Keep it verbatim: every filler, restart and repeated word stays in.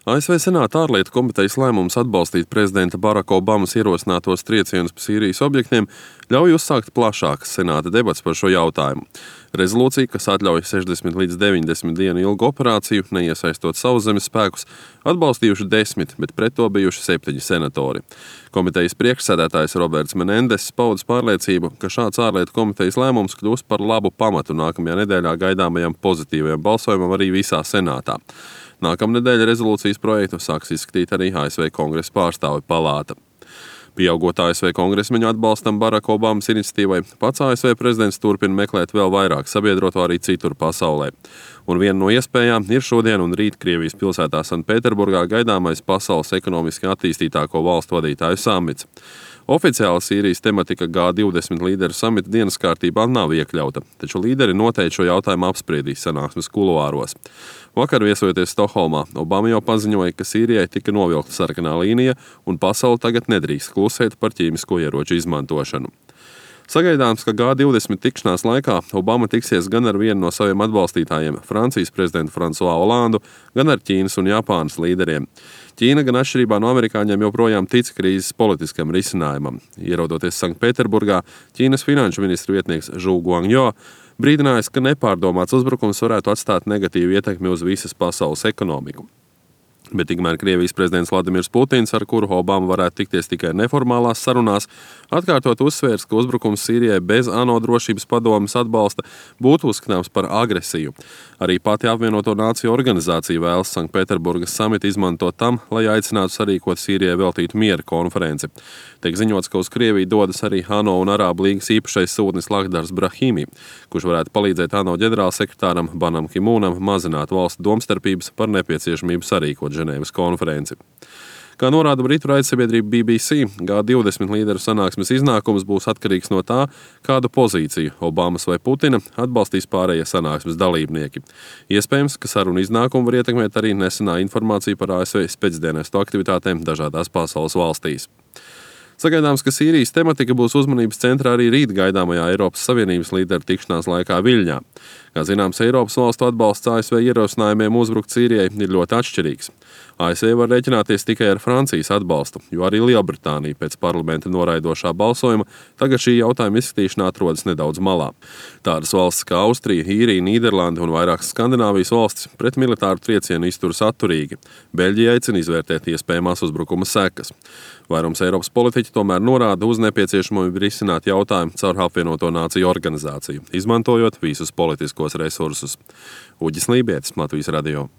A S V Senāta ārlietu komitejas lēmums atbalstīt prezidenta Baraka Obamas ierosinātos triecienus pa Sīrijas objektiem ļauj uzsākt plašākas Senāta debats par šo jautājumu. Rezolūcija, kas atļauj sešdesmit līdz deviņdesmit dienu ilgu operāciju, neiesaistot sauszemes spēkus, atbalstījuši desmit, bet pret to bijuši septiņi senatori. Komitejas priekšsēdētājs Roberts Menendess paudis pārliecību, ka šāds ārlietu komitejas lēmums kļūs par labu pamatu nākamajā nedēļā gaidāmajam pozitīvajam balsojumam arī visā Senātā. Nākamnedēļ rezolūcijas projektu sāks izskatīt arī A S V Kongresa pārstāvju palāta. Pieaugot A S V kongresmeņu atbalstam Baraka Obamas iniciatīvai, pats A S V prezidents turpina meklēt vēl vairāk sabiedroto arī citur pasaulē. Un viena no iespējām ir šodien un rīt Krievijas pilsētā Sanktpēterburgā gaidāmais pasaules ekonomiski attīstītāko valstu vadītāju samits. Oficiāli Sīrijas tematika G divdesmit līderu samita dienas kārtībā nav iekļauta, taču līderi noteikti šo jautājumu apspriedīs sanāksmes kuluāros. Vakar viesojoties Stokholmā, Obama jau paziņoja, ka Sīrijai tika novilkta sarkanā līnija un pasaule tagad nedrīkst klusēt par ķīmisko ieroču izmantošanu. Sagaidāms, ka G divdesmit tikšanās laikā Obama tiksies gan ar vienu no saviem atbalstītājiem, Francijas prezidentu Fransuā Olandu, gan ar Ķīnas un Japānas līderiem. Ķīna gan atšķirībā no amerikāņiem joprojām tic krīzes politiskam risinājumam. Ierodoties Sanktpēterburgā, Ķīnas finanšu ministru vietnieks Zhu Guangjo brīdinājis, ka nepārdomāts uzbrukums varētu atstāt negatīvu ietekmi uz visas pasaules ekonomiku. Bet tikmēr Krievijas prezidents Vladimirs Putins, ar kuru Obama varētu tikties tikai neformālās sarunās, atkārtot uzsvērs, ka uzbrukums Sīrijai bez ANO drošības padomes atbalsta būtu uzskatāms par agresiju. Arī pati apvienoto nāciju organizācija vēlas Sanktpēterburgas samitu izmantot tam, lai aicinātu sarīkot Sīrijai veltītu miera konferenci. Tiek ziņots, ka uz Krieviju dodas arī ANO un Arābu līgas īpašais sūtnis Lakhdars Brahimi, kurš varētu palīdzēt ANO ģenerālsekretāram Banam Ki-mūnam mazināt valstu domstarpības par nepieciešamību sarīkot Ženēvas konferenci. Kā norāda britu raidsabiedrība B B C, G divdesmit līderu sanāksmes iznākums būs atkarīgs no tā, kādu pozīciju Obamas vai Putina atbalstīs pārējie sanāksmes dalībnieki. Iespējams, ka sarunu iznākumu var ietekmēt arī nesenā informācija par A S V spēcdienestu aktivitātēm dažādās pasaules valstīs. Sagaidāms, ka Sīrijas tematika būs uzmanības centrā arī rīt gaidāmajā Eiropas Savienības līderu tikšanās laikā Viļņā. Kā zināms, Eiropas valstu atbalsts A S V ierosinājumiem uzbrukt Sīrijai ir ļoti atšķirīgs. A S V var rēķināties tikai ar Francijas atbalstu, jo arī Lielbritānija pēc parlamenta noraidošā balsojuma tagad šī jautājuma izskatīšana atrodas nedaudz malā. Tādas valstis kā Austrija, Īrija, Nīderlanda un vairākas Skandināvijas valstis pret militāru triecienu izturas atturīgi. Beļģija aicina izvērtēt iespējamās uzbrukuma sekas. Vairums Eiropas politiķi tomēr norāda uz nepieciešamību risināt jautājumu caur apvienoto nāciju organizāciju, izmantojot visus politiskos resursus. Uģis Lībietis, Latvijas radio.